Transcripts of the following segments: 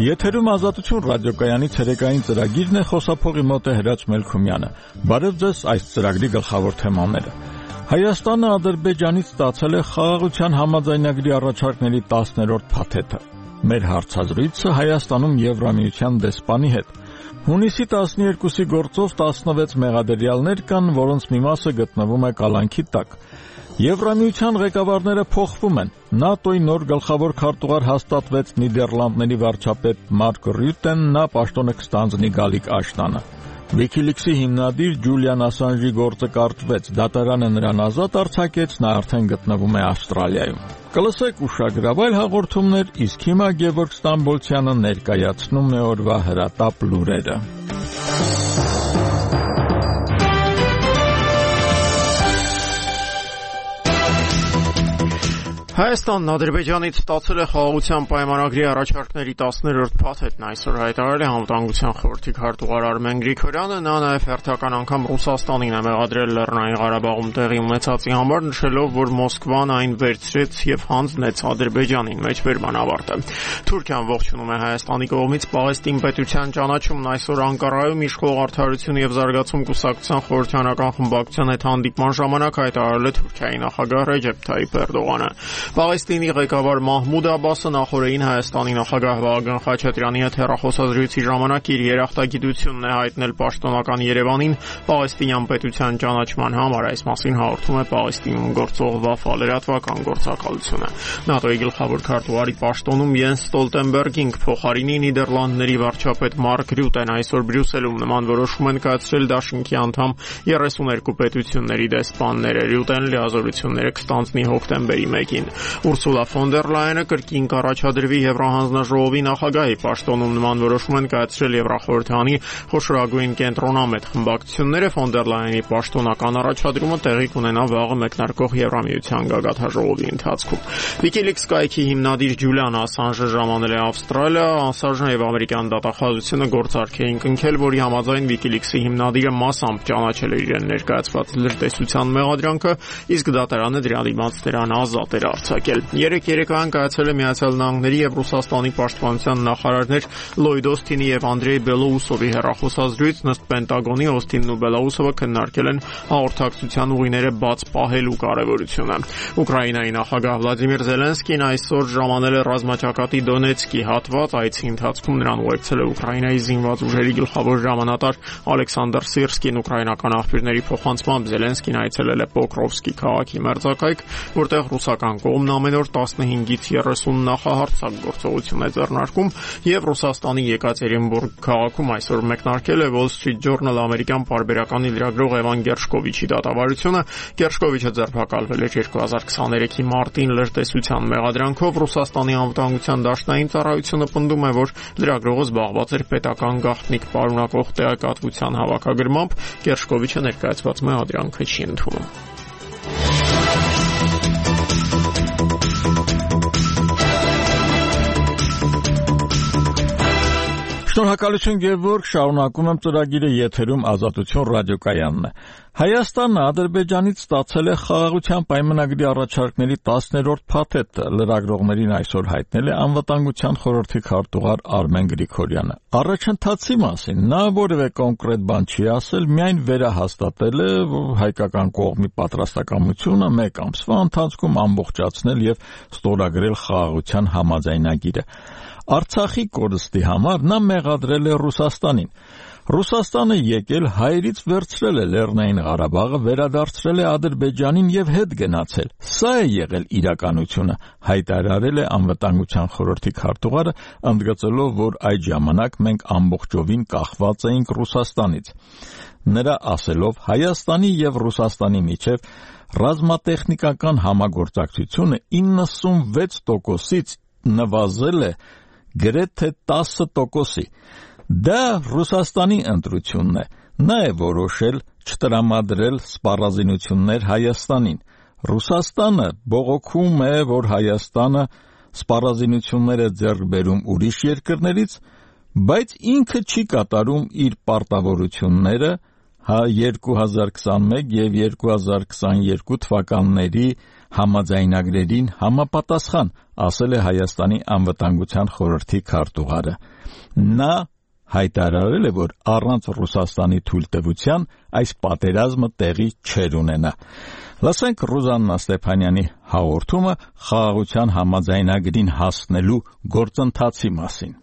Եթերում Ազատություն ռադիոկայանի ցերեկային ծրագիրն է, խոսափողի մոտ է Հրաչ Մելքումյանը։ Բարև ձեզ, այս ծրագրի գլխավոր թեմաները։ Հայաստանը Ադրբեջանից ստացել է խաղաղության համաձայնագրի առաջարկների 10-րդ փաթեթը։ Մեր հարցազրույցը Հայաստանում Եվրամիության դեսպանի հետ։ Հունիսի 12-ի գործով 16 մեղադրյալներ կան, որոնց մի մասը գտնվում է կալանքի տակ։ Եվրամիության ղեկավարները փոխվում են։ ՆԱՏՕ-ի նոր գլխավոր քարտուղար հաստատվեց Նիդերլանդների վարչապետ Մարկ Ռյուտեն, նա պաշտոնը կստանձնի Գալիկ Աշտանը։ Wikileaks-ի հիմնադիր Ջուլիան Ասանժի գործը կարճվեց, դատարանը նրան ազատ արձակեց, նա արդեն գտնվում է Ավստրալիայում։ Կլսեք ուշագրավ այլ հաղորդումներ, իսկ հիմա Գևորգ Ստամբոլցյանը ներկայացնում է օրվա հրատապ լուրերը։ Հայաստանն Ադրբեջանից ստացել է խաղաղության պայմանագրի առաջարկների 10-րդ փաթեթն այսօր հայտարարել է Անվտանգության խորհրդի քարտուղար Արմեն Գրիգորյանը, նա նաև հերթական անգամ Ռուսաստանին է մեղադրել Լեռնային Ղարաբաղում տեղի ունեցածի համար, նշելով, որ Մոսկվան այն վերցրեց եւ հանձնեց Ադրբեջանին, մեջբերման ավարտը։ Թուրքիան ողջունում է Հայաստանի կողմից Պաղեստին պետության ճանաչումն այսօր Անկարայում իշխող Արդարություն եւ զարգացում կուսակցության խորհրդանական խմբակցության հետ հանդիպման ժամանակ հայտարարել է Թուրքիայի նախագահ Ռեջեփ Թայիփ Էրդողանը։ Պաղեստինի ղեկավար Մահմուդ Աբասը նախորդին Հայաստանի նախագահ Վահագն Խաչատրյանի հետ հեռախոսազրույցի ժամանակ իր երախտագիտությունն է հայտնել պաշտոնական Երևանին Պաղեստինյան պետության ճանաչման համար, այս մասին հաղորդում է Պաղեստինում գործող Վաֆա լրատվական գործակալությունը։ ՆԱՏՕ-ի գլխավոր քարտուղարի պաշտոնում Յենս Ստոլտենբերգին փոխարինի Նիդերլանդների վարչապետ Մարկ Ռյուտեն այսօր Բրյուսելում նման որոշում են կայացրել Դաշնքի անդամ 32 պետությունների դեսպանները։ Ռյուտեն լիազորությունները կստանձնի հոկտեմբերի 1-ին։ Ուրսուլա ֆոն դեր Լայենը կրկին կառաջադրվի Եվրահանձնաժողովի նախագահի պաշտոնում նման որոշում են կայացրել Եվրախորհրդանի խոշորագույն կենտրոնամետ խմբակցությունները։ Ֆոն դեր Լայենի պաշտոնական առաջադրումը տեղի կունենա վաղը մեկնարկող Եվրամիության գագաթնաժողովի ընթացքում։ Wikileaks կայքի հիմնադիր Ջուլիան Ասանժը ժամանել է Ավստրալիա, Ասանժը եւ ամերիկյան դատախազությունը գործարք էին կնքել, որի համաձայն Wikileaks-ի հիմնադիրը մասամբ ճանաչել էր իրեն ներկայացված լրտեսության մեղադրանքը, իսկ դատարանը դրա դիմաց նրան ազատ էր արձակել։ Երեք երեկոյան կայացել է Միացյալ Նահանգների եւ Ռուսաստանի պաշտպանության նախարարներ Լոյդ Օսթինի եւ Անդրեյ Բելոուսովի հեռախոսազրույց, ըստ Պենտագոնի Օսթինն ու Բելոուսովը քննարկել են հաղորդակցության ուղիները բաց պահելու կարեւորությունը։ Ուկրաինայի նախագահ Վլադիմիր Զելենսկին այսօր ժամանել է ռազմաճակատի Դոնեցկի հատված, այցի ընթացքում նրան ուղեկցել է Ուկրաինայի զինված ուժերի գլխավոր հրամանատար Ալեքսանդր Սիրսկին։ Ուկրաինական աղբյուրների փոխանցմամբ Զելենսկին այցելել է Պոկրովսկի քաղաքի մերձակայք, որտեղ ռուսական կողմն ամեն օր 15-ից 30 նախահարձակ գործողություն է ձեռնարկում, եւ Ռուսաստանի Եկատերինբուրգ քաղաքում այսօր մեկնարկել է Wall Street Journal ամերիկյան պարբերականի լրագրող Էվան Գերշկովիչի դատավարությունը։ Գերշկովիչը ձերբակալվել էր 2023-ի մարտին լրտեսության մեղադրանքով։ Ռուսաստանի անվտանգության դաշնային ծառայությունը պնդում է, որ լրագրողը զբաղված էր պետական գաղտնիք պարունակող տեղեկատվության հավաքագրմամբ։ Գերշկովիչը ներկայացված մեղադրանքը չի ընդունում։ Շնորհակալություն Գևորգ, շարունակում եմ ծրագիրը, եթերում Ազատություն ռադիոկայանն է։ Հայաստանը Ադրբեջանից ստացել է խաղաղության պայմանագրի առաջարկների 10-րդ փաթեթը, լրագրողներին այսօր հայտնել է Անվտանգության խորհրդի քարտուղար Արմեն Գրիգորյանը։ Առաջընթացի մասին նա որևէ կոնկրետ բան չի ասել, միայն վերահաստատել է հայկական կողմի պատրաստակամությունը 1 ամսվա ընթացքում ամբողջացնել եւ ստորագրել խաղաղության համաձայնագիրը։ Արցախի կորստի համար նա մեղադրել է Ռուսաստանին։ Ռուսաստանը եկել հայերից վերցրել է Լեռնային Ղարաբաղը, վերադարձրել է Ադրբեջանին եւ հետ գնացել։ Սա է եղել իրականությունը, հայտարարել է Անվտանգության խորհրդի քարտուղարը, ընդգծելով, որ այդ ժամանակ մենք ամբողջովին կախված էինք Ռուսաստանից։ Նրա ասելով, Հայաստանի եւ Ռուսաստանի միջև ռազմատեխնիկական համագործակցությունը 96%-ից նվազել է գրեթե 10%-ի։ Դա Ռուսաստանի ընտրությունն է։ Նա է որոշել չտրամադրել սպառազինություններ Հայաստանին։ Ռուսաստանը բողոքում է, որ Հայաստանը սպառազինություններ է ձեռք բերում ուրիշ երկրներից, բայց ինքը չի կատարում իր պարտավորությունները 2021 եւ 2022 թվականների համաձայնագրերին համապատասխան, ասել է Հայաստանի անվտանգության խորհրդի քարտուղարը։ Նա հայտարարել է, որ առանց Ռուսաստանի թույլտվության այս պատերազմը տեղի չէր ունենա։ Լսենք Ռուզաննա Ստեփանյանի հաղորդումը խաղաղության համաձայնագրին հասնելու գործընթացի մասին։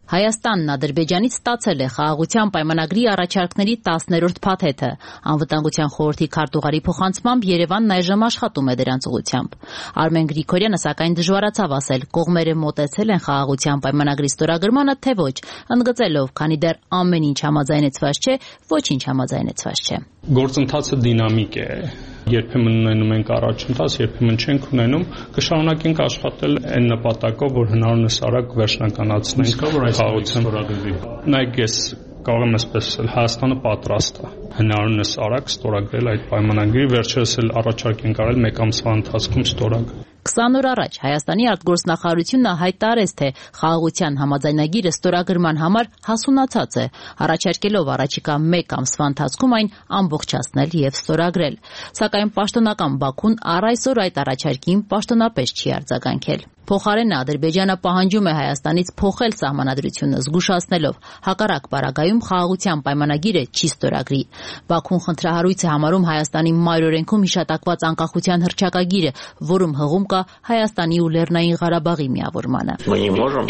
Հայաստանն Ադրբեջանից ստացել է խաղաղության պայմանագրի առաջարկների 10-րդ փաթեթը։ Անվտանգության խորհրդի քարտուղարի փոխանցմամբ Երևանն այժմ աշխատում է դրանց ուղղությամբ։ Արմեն Գրիգորյանը սակայն դժվարացավ ասել, կողմերը մոտեցել են խաղաղության պայմանագրի ստորագրմանը, թե ոչ, ընդգծելով, քանի դեռ ամեն ինչ համաձայնեցված չէ, ոչինչ համաձայնեցված չէ։ Գործընթացը դինամիկ է։ Երբեմն ունենում ենք առաջընթաց, երբեմն չենք ունենում, կշարունակենք աշխատել այն նպատակով, որ հնարավորինս արագ վերջնականացնենք խաղաղության ստորագրի։ Նայեք, ես կարող եմ այսպես ասել, Հայաստանը պատրաստ է հնարավորինս արագ ստորագրել այդ պայմանագրի, վերջերս էլ առաջարկ ենք արել 1 ամսվա ընթացքում ստորագրել։ 20 օր առաջ Հայաստանի արտգործնախարարությունը հայտարարեց, թե խաղաղության համաձայնագիրը ստորագրման համար հասունացած է, առաջարկելով առաջիկա 1 ամսվա ընթացքում այն ամբողջացնել եւ ստորագրել։ Սակայն պաշտոնական Բաքուն առ այսօր այդ առաջարկին պաշտոնապես չի արձագանքել։ Փոխարենը Ադրբեջանը պահանջում է Հայաստանից փոխել սահմանադրությունը, զգուշացնելով հակառակ պարագայում խաղաղության պայմանագիրը չի ստորագրի։ Բաքուն խնդրահարույց է համարում Հայաստանի մայրօրենքում հիշատակված անկախության հռչակագիրը, որում հղում կա Հայաստանի ու Լեռնային Ղարաբաղի միավորմանը։ Мы не можем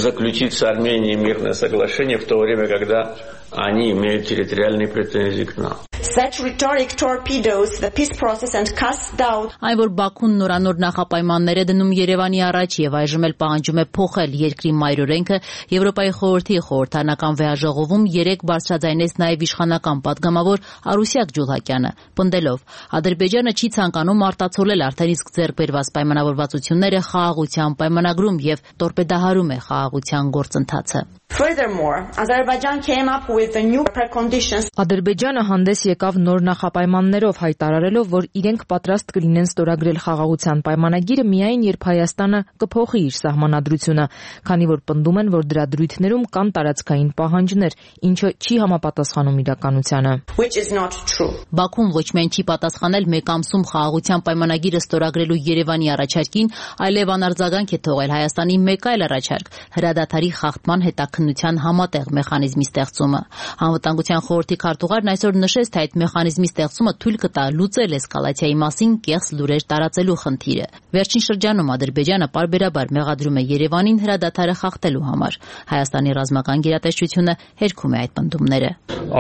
заключить с Арменией мирное соглашение в то время, когда они имеют территориальные претензии к нам. Such rhetoric torpedoes the peace process and casts doubt. Այն, որ Բաքուն նորանոր նախապայմաններ է դնում Երևանի առաջ եւ այժմ էլ պահանջում է փոխել երկրի մայրօրենքը, Եվրոպայի խորհրդի խորհրդանական վեհաժողովում 3 բարձրաձայնեց նաեւ իշխանական падգամավոր Արուսյակ Ջուլհակյանը, պնդելով, Ադրբեջանը չի ցանկանում արտացոլել արդեն իսկ ձեռք բերված պայմանավորվածությունները խաղաղության պայմանագրում եւ տորպեդահարում է խաղաղության գործընթացը։ Furthermore, Azerbaijan came up with the new preconditions. Ադրբեջանը հանդես եկավ նոր նախապայմաններով, հայտարարելով, որ իրենք պատրաստ կլինեն ստորագրել խաղաղության պայմանագիրը միայն երբ Հայաստանը կփոխի իր սահմանադրությունը, քանի որ պնդում են, որ դրա դրույթներում կան տարածքային պահանջներ, ինչը չի համապատասխանում իրականությանը։ Which is not true. Բաքուն ոչ միայն չի պատասխանել 1 ամսում խաղաղության պայմանագիրը ստորագրելու Երևանի առաջարկին, այլև անարձագանք է թողել Հայաստանի մեկ այլ առաջարկ՝ հրադադարի խախտման հետաքննության համատեղ մեխանիզմի ստեղծումը։ Անվտանգության խորհրդի քարտուղարն այսօր նշեց, թե այդ մեխանիզմի ստեղծումը թույլ կտա լուծել էսկալացիայի մասին կեղծ լուրեր տարածելու խնդիրը։ Վերջին շրջանում Ադրբեջանը պարբերաբար մեղադրում է Երևանին հրադադարը խախտելու համար։ Հայաստանի ռազմական գերատեսչությունը հերքում է այդ պնդումները։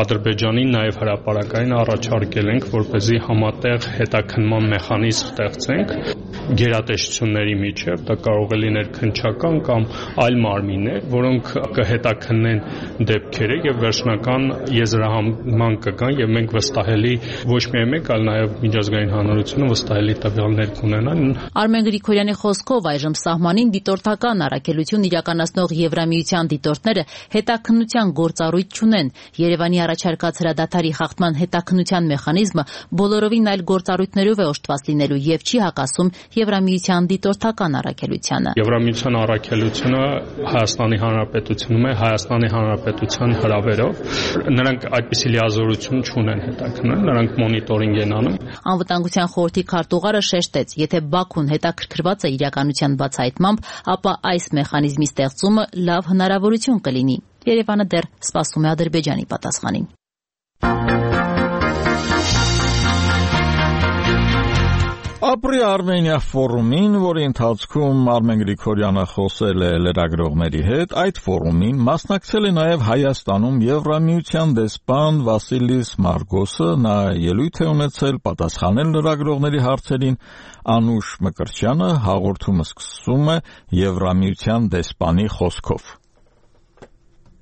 Ադրբեջանին նաև հրապարակային առաջարկել ենք, որպեսզի համատեղ հետաքննման մեխանիզմ ստեղծենք գերատեսչությունների միջև, դա կարող է լինել քննչական կամ այլ մարմիններ, որոնք կհետաքննեն դեպքերը եւ վերջնական եզրահանգման կգան եւ մենք վստահելի ոչ միայն մենք, այլ նաեւ միջազգային հանրությունը վստահելի տվյալներ կունենան։ Արմեն Գրիգորյանի խոսքով այժմ սահմանին դիտորդական առաքելություն իրականացնող Եվրամիության դիտորդները հետաքննության գործառույթ չունեն։ Երևանի առաջարկած հրադադարի խախտման հետաքննության մեխանիզմը բոլորովին այլ գործառույթներով է օժտված լինելու եւ չի հակասում Եվրամիության դիտորդական առաքելությանը։ Եվրամիության առաքելությունը Հայաստանի Հանրապետությունում է, Հայաստանի Հանրապետության հրավերով։ Նրանք այդպիսի լիազորություն չունեն հետաքննել, նրանք մոնիտորինգ են անում։ Անվտանգության խորհրդի քարտուղարը շեշտեց, եթե Բաքուն հետաքրքրված է իրականության բացահայտմամբ, ապա այս մեխանիզմի ստեղծումը լավ հնարավորություն կլինի։ Երևանը դեռ սպասում է Ադրբեջանի պատասխանին։ Ապրի Արմենիա ֆորումին, որի ընթացքում Արմեն Գրիգորյանը խոսել է լրագրողների հետ, այդ ֆորումին մասնակցել է նաև Հայաստանում Եվրամիության դեսպան Վասիլիս Մարգոսը, նա ելույթ է ունեցել պատասխանել լրագրողների հարցերին։ Անուշ Մկրտչյանը հաղորդումը սկսում է Եվրամիության դեսպանի խոսքով։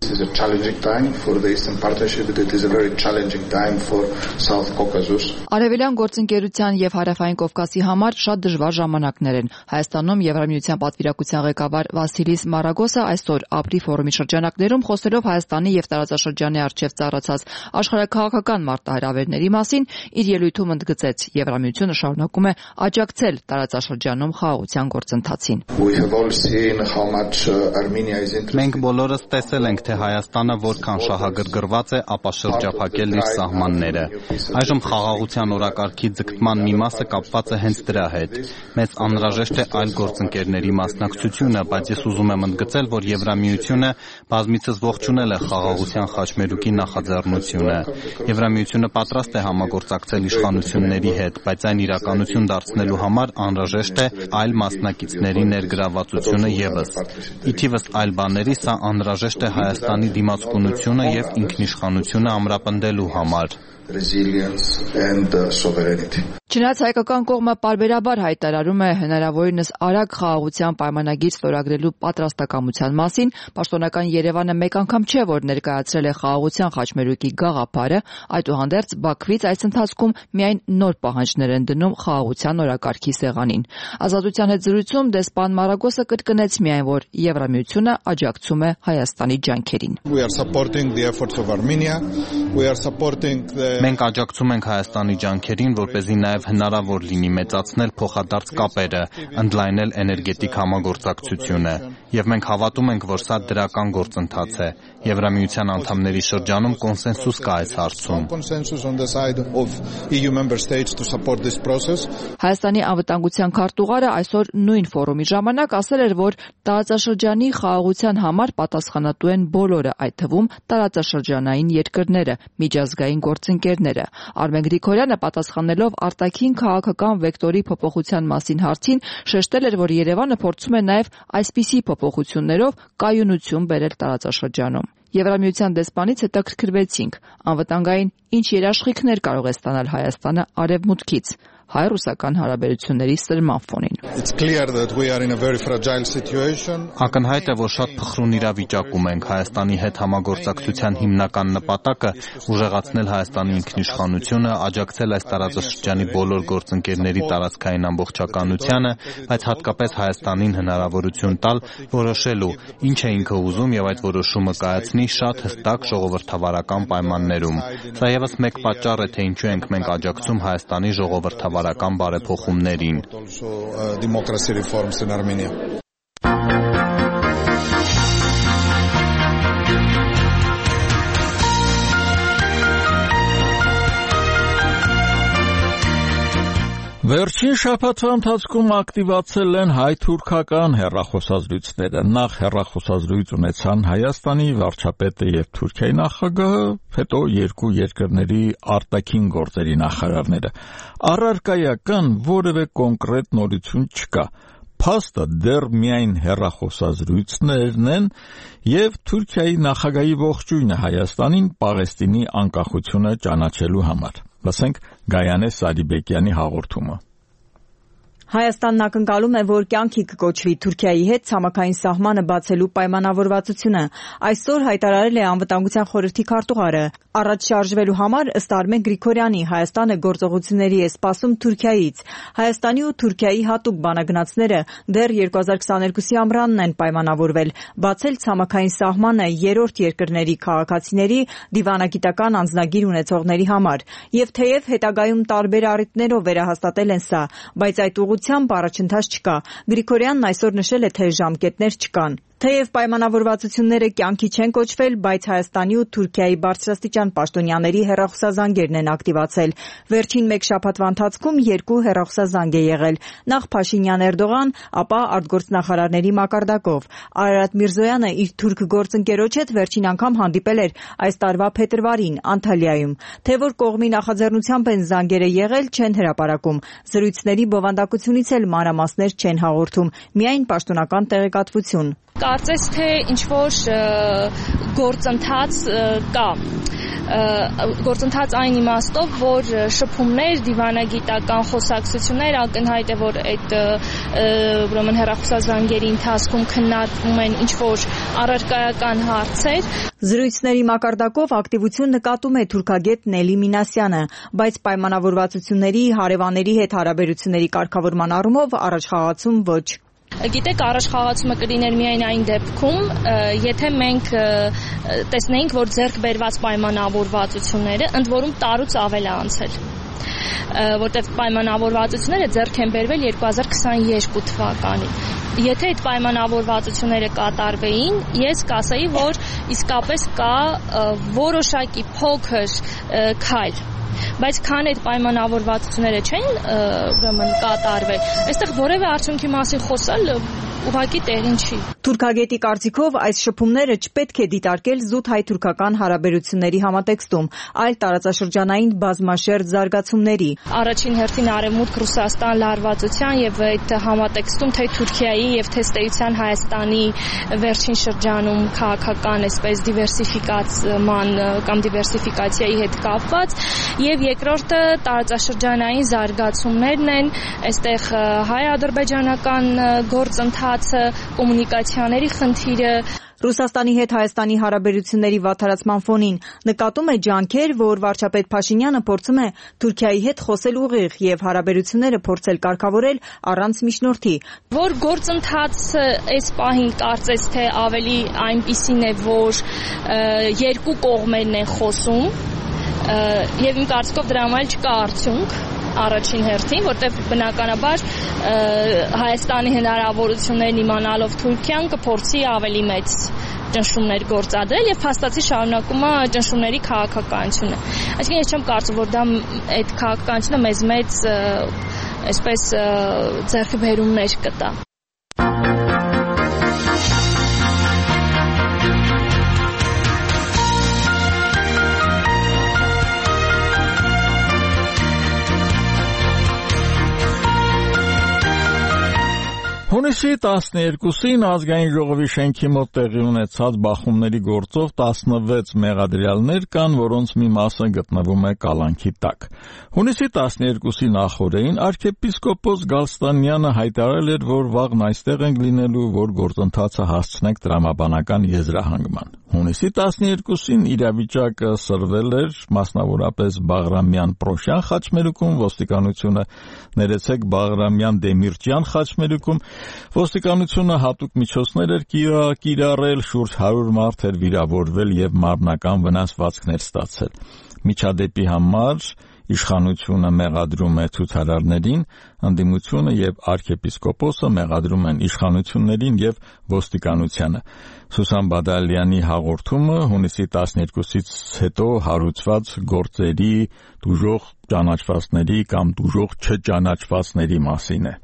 This is a challenging time for the Eastern Partnership, but it is a very challenging time for South Caucasus. Արևելյան գործընկերության եւ Հարավային Կովկասի համար շատ դժվար ժամանակներ են։ Հայաստանում Եվրամիության պատվիրակության ղեկավար Վասիլիս Մարագոսը այսօր ապրի ֆորումի շրջանակներում խոսելով Հայաստանի եւ տարածաշրջանի արչեւ ծառացած աշխարհաքաղաքական մարտահրավերների մասին, իր ելույթում ընդգծեց Եվրամիությունը շարունակում է աջակցել տարածաշրջանում խաղաղության գործընթացին։ We have all seen how much Armenia is interested. Մենք բոլորս տեսել ենք, թե Հայաստանը որքան շահագրգռված է, ապա շրջափակել իր սահմանները։ Այժմ խաղաղության օրակարգի ձգտման մի մասը կապված է հենց դրա հետ։ Մեզ անհրաժեշտ է այլ գործընկերների մասնակցությունը, բայց ես ուզում եմ ընդգծել, որ Եվրամիությունը բազմիցս ողջունել է խաղաղության խաչմերուկի նախաձեռնությունը։ Եվրամիությունը պատրաստ է համագործակցել իշխանությունների հետ, բայց այն իրականություն դարձնելու համար անհրաժեշտ է այլ մասնակիցների ներգրավվածությունը ևս։ Ի թիվս այլ բաների, սա անհրաժեշտ է Հայաստանի դիմացկունությունը եւ ինքնիշխանությունը ամրապնդելու համար։ Չնայած հայկական կողմը պարբերաբար հայտարարում է հնարավորինս արագ խաղաղության պայմանագիր ստորագրելու պատրաստակամության մասին, պաշտոնական Երևանը մեկ անգամ չէ, որ ներկայացրել է խաղաղության խաչմերուկի գաղափարը, այդուհանդերձ Բաքվից այս ընթացքում միայն նոր պահանջներ են դնում խաղաղության օրակարգի սեղանին։ Ազատության հետ զրույցում դեսպան Մարագոսը կրկնեց միայն, որ Եվրամիությունը աջակցում է Հայաստանի ջանքերին։ Մենք աջակցում ենք Հայաստանի ջանքերին, որպեսզի նաև հնարավոր լինի մեծացնել փոխադարձ կապերը, ընդլայնել էներգետիկ համագործակցությունը, եւ մենք հավատում ենք, որ սա դրական գործընթաց է։ Եվրամիության անդամների շրջանում կոնսենսուս կա այս հարցում։ Հայաստանի անվտանգության քարտուղարը այսօր նույն ֆորումի ժամանակ ասել էր, որ տարածաշրջանի խաղաղության համար պատասխանատու են բոլորը, այդ թվում տարածաշրջանային երկրները, միջազգային գործընկերները։ Արմեն Գրիգորյանը պատասխանելով արտաքին քաղաքական վեկտորի փոփոխության մասին հարցին շեշտել էր, որ Երևանը փորձում է նաև այսպիսի փոփոխություններով կայունություն բերել տարածաշրջանում։ Եվրամիության դեսպանից հետաքրքրվեցինք, անվտանգային ինչ երաշխիքներ կարող է ստանալ Հայաստանը արևմուտքից հայ-ռուսական հարաբերությունների սրման ֆոնին։ Ակնհայտ է, որ շատ փխրուն իրավիճակում ենք։ Հայաստանի հետ համագործակցության հիմնական նպատակը ուժեղացնել Հայաստանի ինքնիշխանությունը, աջակցել այս տարածաշրջանի բոլոր գործընկերների տարածքային ամբողջականությանը, բայց հատկապես Հայաստանին հնարավորություն տալ որոշելու, ինչ է ինքը ուզում եւ այդ որոշումը կայացնի շատ հստակ ժողովրդավարական պայմաններում։ Սա եւս մեկ պատճառ է, թե ինչու ենք մենք աջակցում Հայաստանի ժողովրդավարական բարեփոխումներին։ Վերջին շաբաթվա ընթացքում ակտիվացել են հայ-թուրքական հեռախոսազրույցները։ Նախ հեռախոսազրույց ունեցան Հայաստանի վարչապետը եւ Թուրքիայի նախագահը, հետո երկու երկրների արտաքին գործերի նախարարները։ Առարկայական որևէ կոնկրետ նորություն չկա։ Փաստը դեռ միայն հեռախոսազրույցներն են եւ Թուրքիայի նախագահի ողջույնը Հայաստանին Պաղեստինի անկախությունը ճանաչելու համար։ Լսենք Գայանե Սարիբեկյանի հաղորդումը։ Հայաստանն ակնկալում է, որ կյանքի կկոչվի Թուրքիայի հետ ցամաքային սահմանը բացելու պայմանավորվածությունը։ Այսօր հայտարարել է Անվտանգության խորհրդի քարտուղարը։ Առաջ շարժվելու համար, ըստ Արմեն Գրիգորյանի, Հայաստանը գործողությունների է սպասում Թուրքիայից։ Հայաստանի ու Թուրքիայի հատուկ բանագնացները դեռ 2022-ի ամռանն են պայմանավորվել բացել ցամաքային սահմանը երրորդ երկրների քաղաքացիների դիվանագիտական անձնագիր ունեցողների համար։ Եվ թեև հետագայում տարբեր առիթներով վերահաստատել են սա, բայց այդ ուղղությամբ առաջընթաց չկա։ Գրիգորյանն այսօր նշել է, թե ժամկետներ չկան։ Թեև պայմանավորվածությունները կյանքի չեն կոչվել, բայց Հայաստանի ու Թուրքիայի բարձրաստիճան պաշտոնյաների հեռախոսազանգերն են ակտիվացել։ Վերջին մեկ շաբաթվա ընթացքում երկու հեռախոսազանգ է եղել։ Նախ Փաշինյան-Էրդողան, ապա արտգործնախարարների մակարդակով։ Արարատ Միրզոյանը իր թուրք գործընկերոջ հետ վերջին անգամ հանդիպել էր այս տարվա փետրվարին Անտալիայում։ Թե որ կողմի նախաձեռնությամբ են զանգերը եղել, չեն հրապարակում։ Զրույցների բովանդակությունից էլ մանրամասներ չեն հաղորդում, միայն պաշտոնական տեղեկատվություն։ Կարծես թե ինչ-որ գործընթաց կա։ Գործընթաց այն իմաստով, որ շփումներ, դիվանագիտական խոսակցություններ, ակնհայտ է, որ այդ ուրեմն հեռախոսազանգերի ընթացքում քննարկվում են ինչ-որ առարկայական հարցեր։ Զրույցների մակարդակով ակտիվություն նկատում է թուրքագետ Նելի Մինասյանը, բայց պայմանավորվածությունների, հարևանների հետ հարաբերությունների կարգավորման առումով առաջխաղացում ոչ։ Գիտեք, առաջխաղացումը կլիներ միայն այն դեպքում, եթե մենք տեսնեինք, որ ձեռք բերված պայմանավորվածությունները ընդ որում տարուց ավել է անցել։ որտեղ պայմանավորվածությունները ձեռք են բերվել 2022 թվականին։ Եթե այդ պայմանավորվածությունները կատարվեին, ես կասեի, որ իսկապես կա որոշակի փոքր քայլ, բայց քան այդ պայմանավորվածությունները չեն կատարվել, այստեղ որևէ արդյունքի մասին խոսալ ուղղակի տեղին չի։ Թուրքագետի կարծիքով այս շփումները չպետք է դիտարկել զուտ հայ-թուրքական հարաբերությունների համատեքստում, այլ տարածաշրջանային բազմաշերտ զարգացումների։ Առաջին հերթին Արևմուտք Ռուսաստան լարվածության եւ այդ համատեքստում թե Թուրքիայի եւ թե Ստեյության Հայաստանի վերջին շրջանում քաղաքական այսպես դիվերսիֆիկացման կամ դիվերսիֆիկացիայի հետ կապված, եւ երկրորդը տարածաշրջանային զարգացումներն են, այստեղ հայ-ադրբեջանական գործընթացը, կոմունիկացիաների խնդիրը։ Ռուսաստանի հետ Հայաստանի հարաբերությունների վատթարացման ֆոնին նկատում է ջանքեր, որ վարչապետ Փաշինյանը փորձում է Թուրքիայի հետ խոսել ուղիղ եւ հարաբերությունները փորձել կարգավորել առանց միջնորդի։ Որ գործընթացը այս պահին կարծես թե ավելի այնպիսին է, որ երկու կողմերն են խոսում եւ իմ կարծիքով դրա համար չկա արդյունք առաջին հերթին, որտեղ բնականաբար Հայաստանի հնարավորություններն իմանալով Թուրքիան կփորձի ավելի մեծ ճնշումներ գործադրել եւ փաստացի շարունակում է ճնշումների քաղաքականությունը։ Այսինքն ես չեմ կարծում, որ դա այդ քաղաքականությունը մեծ այսպես ձեռքբերումներ կտա։ Հունիսի 12-ին ազգային ժողովի շենքի մոտ տեղի ունեցած բախումների գործով 16 մեղադրյալներ կան, որոնց մի մասը գտնվում է կալանքի տակ։ Հունիսի 12-ի նախօրեին arczepiskopos Գալստանյանը հայտարարել էր, որ վաղն այստեղ ենք լինելու, որ գործընթացը հասցնենք տրամաբանական եզրահանգման։ Հունիսի 12-ին իրավիճակը սրվել էր, մասնավորապես Բաղրամյան Պրոշյան խաչմերուկում, ոստիկանությունը ներեցեք Բաղրամյան Դեմիրճյան խաչմերուկում, ոստիկանությունը հատուկ միջոցներ էր կիրառել, շուրջ 100 մարդ էր վիրավորվել եւ մարմնական վնասվածքներ ստացել։ Միջադեպի համար իշխանությունը մեղադրում է ցուցարարներին, ընդդիմությունը եւ arczepiskopos-ը մեղադրում են իշխանություններին եւ ոստիկանությանը։ Սուսան Բադալյանի հաղորդումը հունիսի 12-ից հետո հարուցված գործերի դժոխք ճանաչվածների կամ դժոխք չճանաչվածների մասին է։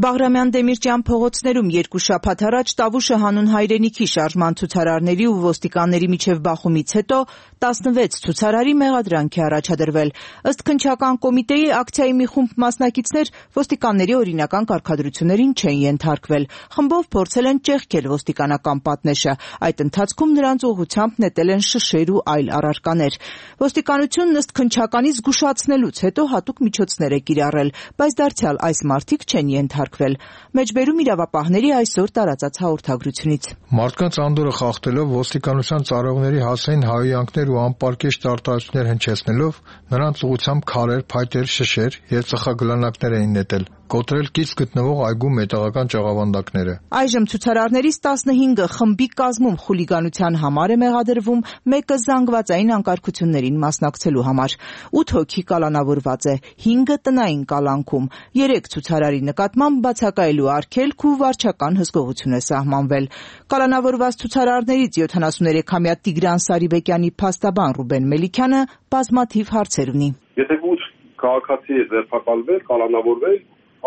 Բաղրամյան Դեմիրճյան փողոցներում երկու շաբաթ առաջ Տավուշը հանուն հայրենիքի շարժման ցուցարարների ու ոստիկանների միջև բախումից հետո 16 ցուցարարի մեղադրանք է առաջադրվել։ Ըստ քննչական կոմիտեի ակցիայի մի խումբ մասնակիցներ ոստիկանների օրինական կարգադրություններին չեն ենթարկվել։ Խմբով փորձել են ճեղքել ոստիկանական պատնեշը։ Այդ ընթացքում նրանց ուղղությամբ նետել են շշեր ու այլ առարկաներ։ Ոստիկանությունն ըստ քննչականի զգուշացնելուց հետո հատուկ միջոցներ է կիրառել, բայց դարձյալ այս մարդիկ չեն ենթարկվել։ Մեջբերում իրավապահների այսօր տարածած հաղորդագրությունից։ Մարդկանց անդորը խախտելով ոստիկանության ծառայողների հասցեին հայհոյանքներ ու անպարկեշտ արտահայտություններ հնչեցնելով նրանց ուղղությամբ քարեր, փայտեր, շշեր եւ ծխագլանակներ էին նետել, կոտրել կից գտնվող այգու մետաղական ճաղավանդակները։ Այժմ ցուցարարներից 15-ը խմբի կազմում խուլիգանության համար է մեղադրվում, մեկը զանգվածային անկարգություններին մասնակցելու համար։ 8 հոգի կալանավորված է, 5-ը տնային կալանքում, 3 ցուցարարի նկատմամբ բացակայելու արգելք ու վարչական հսկողություն է սահմանվել։ Կալանավորված ցուցարարներից 73-ամյա Տիգրան Սարիբեկյանի փաստաբան Ռուբեն Մելիքյանը բազմաթիվ հարցեր ունի։ Եթե 8 քաղաքացի է ձերբակալվել, կալանավորվել,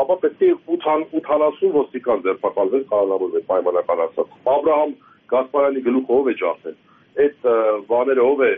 ապա պետք է 80 ոստիկան ձերբակալվել, կալանավորվել պայմանական ասած։ Աբրահամ Գասպարյանի գլուխը ով է ջարդել։ Այդ բաները ով է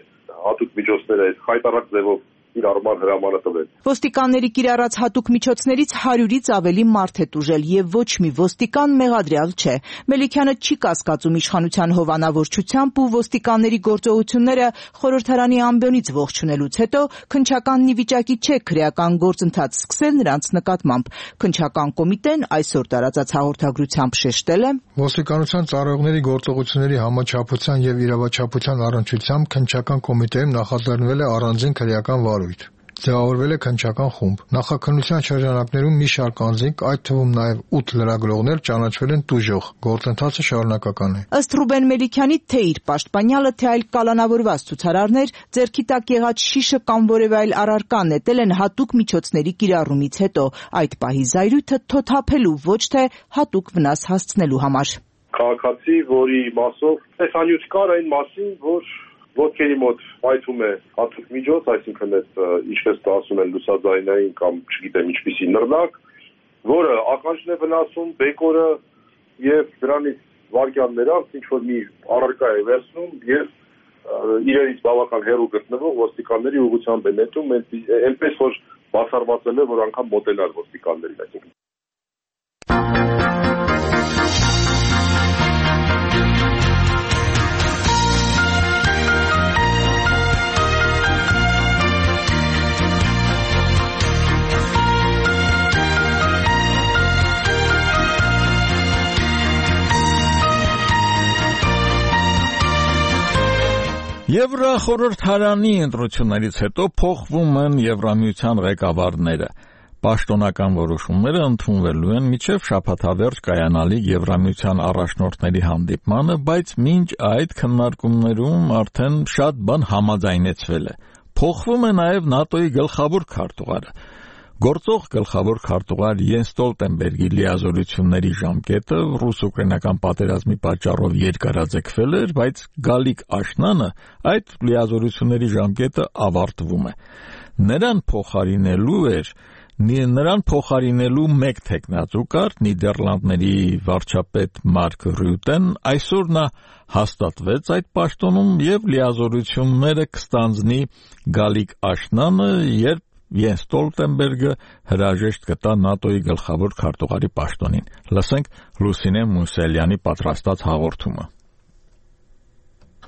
հատուկ միջոցները այդ խայտարակ ձևով իր արման հրամանը տվել։ Ոստիկանների կիրառած հատուկ միջոցներից 100-ից ավելի մարդ է տուժել եւ ոչ մի ոստիկան մեղադրյալ չէ։ Մելիքյանը չի կասկածում իշխանության հովանավորչությամբ ու ոստիկանների գործողությունները խորհրդարանի ամբիոնից ողջունելուց հետո քննչականն ի վիճակի չէ քրեական գործընթաց սկսել նրանց նկատմամբ։ Քննչական կոմիտեն այսօր տարածած հաղորդագրությամբ շեշտել է. Ոստիկանության ծառայողների գործողությունների համաչափության եւ իրավաչափության առնչությամբ քննչական կոմիտեում նախաձեռնվել է առանձին քրեական վարույթ։ ձևավորվել է քննչական խումբ։ Նախաքննության շրջանակներում մի շարք անձինք, այդ թվում նաև 8 լրագրողներ ճանաչվել են տուժող։ Գործընթացը շարունակական է։ Ըստ Ռուբեն Մելիքյանի թե իր պաշտպանյալը, թե այլ կալանավորված ցուցարարներ ձեռքի տակ եղած շիշը կամ որևէ այլ առարկա նետել են հատուկ միջոցների կիրառումից հետո, այդ պահի զայրույթը թոթափելու, ոչ թե հատուկ վնաս հասցնելու համար։ Քաղաքացի, որի մասով տեսանյութ կար այն մասին, որ ոտքերի մոտ պայթում է հատուկ միջոց, այսինքն այդ ինչպես ասում են լուսաձայնային կամ չգիտեմ ինչպիսի նռնակ, որը ականջն է վնասում, բեկորը եւ դրանից վայրկյաններ անց ինչ որ մի առարկա է վերցնում եւ իրենից բավական հեռու գտնվող ոստիկանների ուղղությամբ է նետում, այնպես որ բացառվածել է, որ անգամ մոտենալ ոստիկաններին, այսինքն Եվրախորհրդարանի ընտրություններից հետո փոխվում են Եվրամիության ղեկավարները։ Պաշտոնական որոշումները ընդունվելու են մինչև շաբաթավերջ կայանալիք Եվրամիության առաջնորդների հանդիպմանը, բայց մինչ այդ քննարկումներում արդեն շատ բան համաձայնեցվել է։ Փոխվում է նաև ՆԱՏՕ-ի գլխավոր քարտուղարը։ Գործող գլխավոր քարտուղար Յենս Ստոլտենբերգի լիազորությունների ժամկետը ռուս-ուկրաինական պատերազմի պատճառով երկարաձգվել էր, բայց Գալիկ Աշնանը այդ լիազորությունների ժամկետը ավարտվում է։ Նրան փոխարինելու մեկ թեկնածու կար Նիդերլանդների վարչապետ Մարկ Ռյուտեն, այսօր նա հաստատվեց այդ պաշտոնում եւ լիազորությունները կստանձնի Գալիկ Աշնանը, երբ Յենս Ստոլտենբերգը հրաժեշտ կտա ՆԱՏՕ-ի գլխավոր քարտուղարի պաշտոնին։ Լսենք Լուսինե Մուսելյանի պատրաստած հաղորդումը։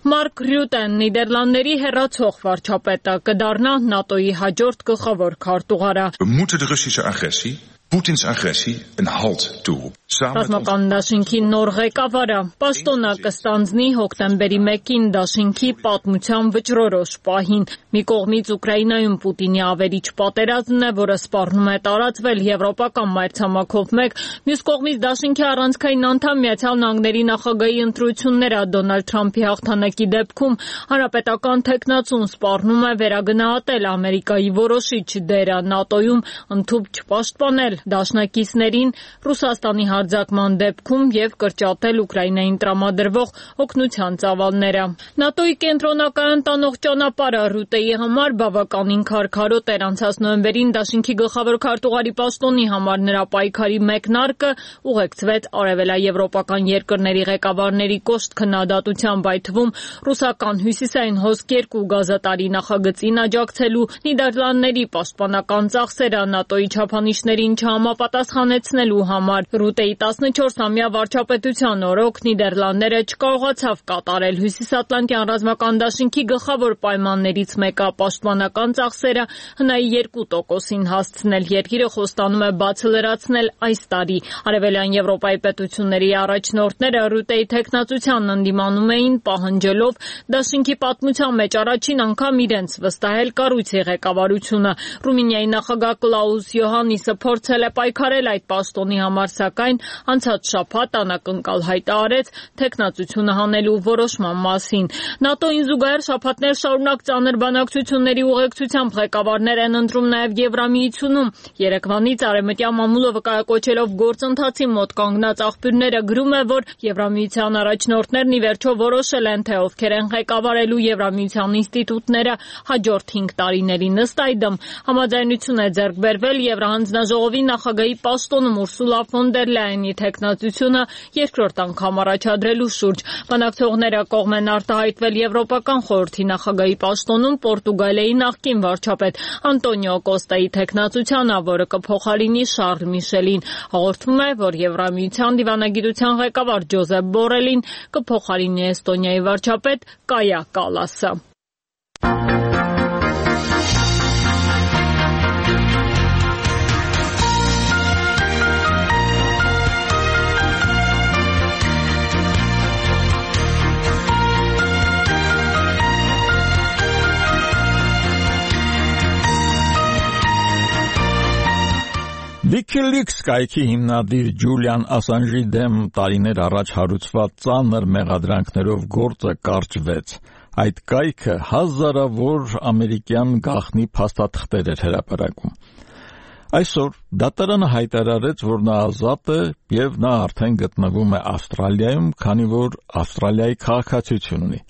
Մարկ Ռյուտեն, Նիդերլանդների հեռացող վարչապետը, կդառնա ՆԱՏՕ-ի հաջորդ գլխավոր քարտուղարը։ Moeten de Russische agressie, Poetins agressie, een halt toe. Ռազմական դաշինքի նոր ղեկավարը պաշտոնը կստանձնի հոկտեմբերի 1-ին դաշինքի պատմության վճռորոշ պահին։ Մի կողմից Ուկրաինայում Պուտինի ավերիչ պատերազմն է, որը սպառնում է տարածվել եվրոպական մայրցամաքով մեկ, մյուս կողմից դաշինքի առանցքային անդամ Միացյալ Նահանգների նախագահի ընտրությունները Դոնալդ Թրամփի հաղթանակի դեպքում հանրապետական թեկնածուն սպառնում է վերագնահատել Ամերիկայի որոշիչ դերը ՆԱՏՕ-ում ընդհուպ չպաշտպանել դաշնակիցներին Ռուսաստանի հարձակման դեպքում եւ կրճատել Ուկրաինային տրամադրվող օգնության ծավալները։ ՆԱՏՕ-ի կենտրոնակայան տանող ճանապարհը Ռուտեի համար բավականին քարքարոտ էր անցած նոյեմբերին դաշինքի գլխավոր քարտուղարի պաշտոնի համար նրա պայքարի մեկնարկը ուղեկցվեց արևելաեվրոպական երկրների ղեկավարների կոշտ քննադատությամբ, այդ թվում ռուսական հյուսիսային հոսք 2 գազատարի նախագծին աջակցելու Նիդերլանդների պաշտպանական ծախսերը ՆԱՏՕ-ի չափանիշներին չհամապատասխանեցնելու համար։ Ռուտեի 14-ամյա վարչապետության օրոք Նիդերլանդները չկարողացավ կատարել Հյուսիսատլանտյան ռազմական դաշինքի գլխավոր պայմաններից մեկը պաշտպանական ծախսերը հնայի 2%-ին հասցնել։ Երկիրը խոստանում է բացը լրացնել այս տարի։ Արևելյան Եվրոպայի պետությունների առաջնորդները Ռուտեի թեկնածությանն ընդդիմանում էին, պահանջելով դաշինքի պատմության մեջ առաջին անգամ իրենց վստահել կառույցի ղեկավարությունը։ Ռումինիայի նախագահ Կլաուս Յոհաննիսը փորձել է պայքարել այդ պաշտոնի համար, սակայն անցած շաբաթ անակնկալ հայտ արեց թեկնածությունը հանելու որոշման մասին։ ՆԱՏՕ-ին զուգահեռ շաբաթներ շարունակ ծանր բանակցությունների ուղեկցությամբ ղեկավարներ են ընտրում նաև Եվրամիությունում։ Երեկվանից արևմտյան մամուլը վկայակոչելով գործընթացի մոտ կանգնած աղբյուրները գրում է, որ Եվրամիության առաջնորդներն ի վերջո որոշել են, թե ովքեր են ղեկավարելու Եվրամիության ինստիտուտները հաջորդ 5 տարիներին։ Ըստ այդմ համաձայնություն է ձեռք բերվել Եվրահանձնաժողովի նախագահի պաշտոնում Ուրսուլա ֆոն դեր Լայենի թեկնածությունը երկրորդ անգամ առաջադրելու շուրջ։ Բանակցողները կողմ են արտահայտվել Եվրոպական խորհրդի նախագահի պաշտոնում Պորտուգալիայի նախկին վարչապետ Անտոնիո Կոստայի թեկնածությանը, որը կփոխարինի Շարլ Միշելին։ Հաղորդվում է, որ Եվրամիության դիվանագիտության ղեկավար Ջոզեփ Բորելին կփոխարինի Էստոնիայի վարչապետ Կայա Կալասը։ WikiLeaks կայքի հիմնադիր Ջուլիան Ասանժի դեմ տարիներ առաջ հարուցված ծանր մեղադրանքներով գործը կարճվեց։ Այդ կայքը հազարավոր ամերիկյան գաղտնի փաստաթղթեր էր հրապարակում։ Այսօր դատարանը հայտարարեց, որ նա ազատ է եւ նա արդեն գտնվում է Ավստրալիայում, քանի որ Ավստրալիայի քաղաքացիություն ունի։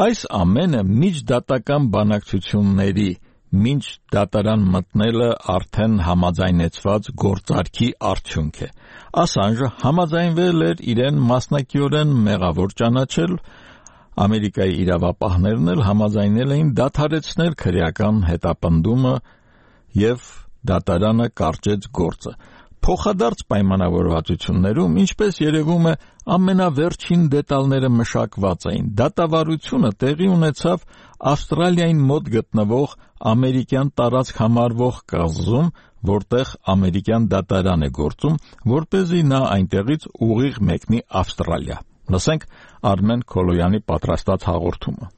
Այս ամենը միջդատական բանակցությունների մինչ դատարան մտնելը արդեն համաձայնեցված գործարքի արդյունք է։ Ասանժը համաձայնվել էր իրեն մասնակիորեն մեղավոր ճանաչել, Ամերիկայի իրավապահներն էլ համաձայնել էին դադարեցնել քրեական հետապնդումը եւ դատարանը կարճեց գործը։ Փոխադարձ պայմանավորվածություններում, ինչպես երևում է, ամենավերջին դետալները մշակված էին։ Դատավարությունը տեղի ունեցավ Ավստրալիային մոտ գտնվող ամերիկյան տարածք համարվող կղզում, որտեղ ամերիկյան դատարան է գործում, որպեսզի նա այնտեղից ուղիղ մեկնի Ավստրալիա։ Լսենք Արմեն Քոլոյանի պատրաստած հաղորդումը։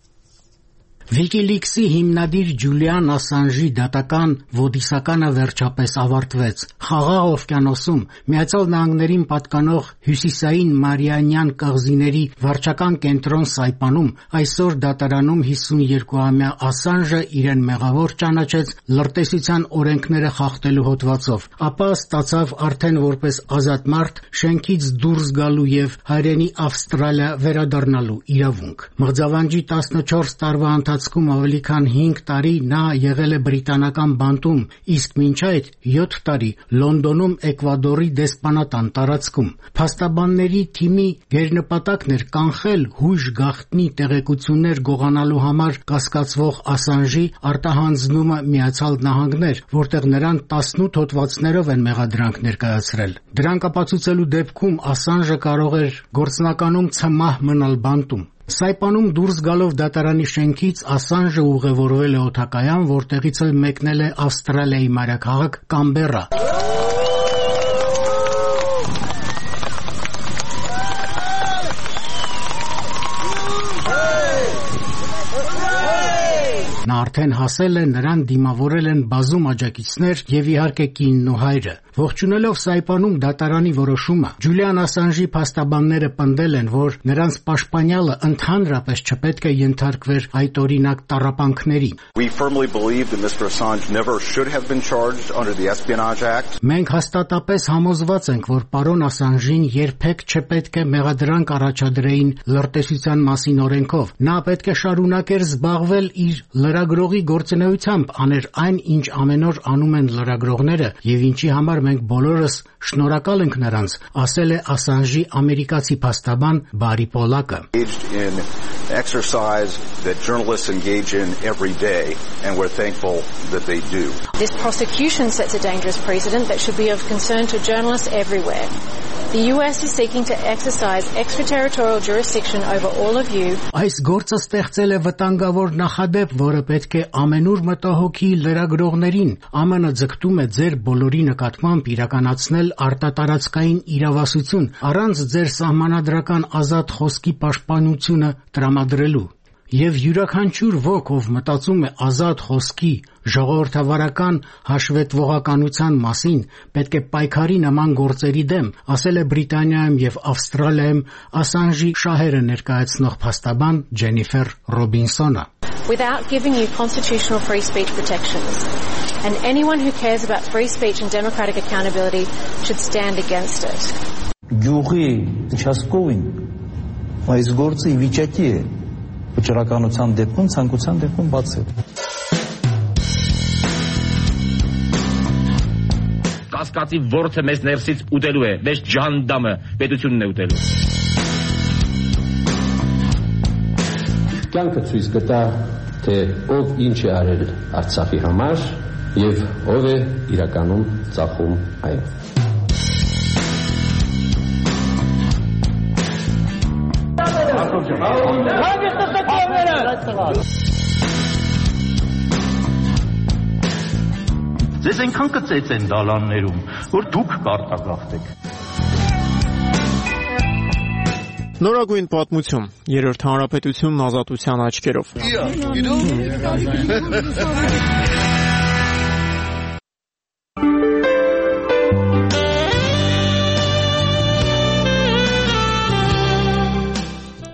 WikiLeaks-ի հիմնադիր Ջուլիան Ասանժի դատական ոդիսականը վերջապես ավարտվեց։ Խաղաղ օվկիանոսում Միացյալ Նահանգներին պատկանող հյուսիսային Մարիանյան կղզիների վարչական կենտրոն Սայպանում այսօր դատարանում 52-ամյա Ասանժը իրեն մեղավոր ճանաչեց լրտեսության օրենքները խախտելու հոդվածով, ապա ստացավ արդեն որպես ազատ մարդ շենքից դուրս գալու եւ հայրենի Ավստրալիա վերադառնալու իրավունք։ Մղձավանջի 14 տարվա ընթացքում ավելի քան 5 տարի նա եղել է բրիտանական բանտում, իսկ մինչ այդ 7 տարի Լոնդոնում Էկվադորի դեսպանատան տարածքում։ Փաստաբանների թիմի գերնպատակն էր կանխել հույժ գաղտնի տեղեկություններ գողանալու համար կասկածվող Ասանժի արտահանձնումը Միացյալ Նահանգներ, որտեղ նրան 18 հոդվածներով են մեղադրանք ներկայացրել։ Դրանք ապացուցելու դեպքում Ասանժը կարող էր գործնականում ցմահ մնալ բանտում։ Սայպանում դուրս գալով դատարանի շենքից Ասանժը ուղևորվել է օդակայան, որտեղից էլ մեկնել է Ավստրալիայի մայրաքաղաք Կամբերա։ Նա արդեն հասել է, նրան դիմավորել են բազում աջակիցներ եւ իհարկե կինն ու հայրը։ Ողջունելով Սայպանում դատարանի որոշումը, Ջուլիան Ասանժի փաստաբանները պնդել են, որ նրանց պաշտպանյալը ընդհանրապես չպետք է ենթարկվեր այդօրինակ տառապանքների։ Մենք հաստատապես համոզված ենք, որ պարոն Ասանժին երբեք չպետք է մեղադրանք առաջադրեին լրտեսության մասին օրենքով։ Նա պետք է շարունակեր զբաղվել իր լրագրողի գործունեությամբ, աներ այն, ինչ ամեն օր անում են լրագրողները եւ ինչի համար մենք բոլորս շնորհակալ ենք նրանց, ասել է Ասանժի ամերիկացի փաստաբան Բարի Պոլակը։ This prosecution sets a dangerous precedent that should be of concern to journalists everywhere. The US is seeking to exercise extraterritorial jurisdiction over all of you. Այս գործը ստեղծել է վտանգավոր նախադեպ, որը պետք է ամենուր մտահոգի լրագրողներին։ ԱՄՆ ձգտում է ձեր բոլորի նկատմամբ իրականացնել արտատարածքային իրավասություն առանց ձեր սահմանադրական ազատ խոսքի պաշտպանությունը տրամադրելու։ Եվ յուրաքանչյուր ոք, ով մտածում է ազատ խոսքի ժողովրդավարական հաշվետվողականության մասին, պետք է պայքարի նման գործերի դեմ, ասել է Բրիտանիայում եւ Ավստրալիայում Ասանժի շահերը ներկայացնող փաստաբան Ջենիֆեր Ռոբինսոնը։ Without giving you constitutional free speech protections, and anyone who cares about free speech and democratic accountability should stand against it. Գյուղի участковին այս գործը ի վիճակի է վճռականության դեպքում, ցանկության դեպքում բացել։ Կասկածի ворթը մեզ ներսից ուտելու է, մեզ ջանդամը պետությունն է ուտելու։ Կյանքը ցույց կտա, թե ով ինչ է արել Արցախի համար եւ ով է իրականում ծախում այն։ Ձեզ այնքան կծեց են դալաններում, որ դուք կարտագաղթեք։ Նորագույն պատմություն, երրորդ հանրապետությունն ազատության աչքերով։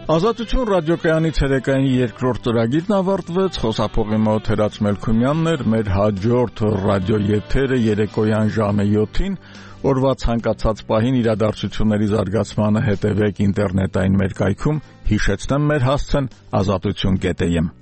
Ազատություն ռադիոկայանի ցերեկային երկրորդ ծրագիրն ավարտվեց, խոսափողի մոտ Հերաց Մելքումյանն էր, մեր հաջորդ ռադիո եթերը երեկոյան ժամը 7-ին, օրվա ցանկացած պահին իրադարձությունների զարգացմանը հետևեք ինտերնետային մեր կայքում, հիշեցնեմ մեր հասցեն azatutun.am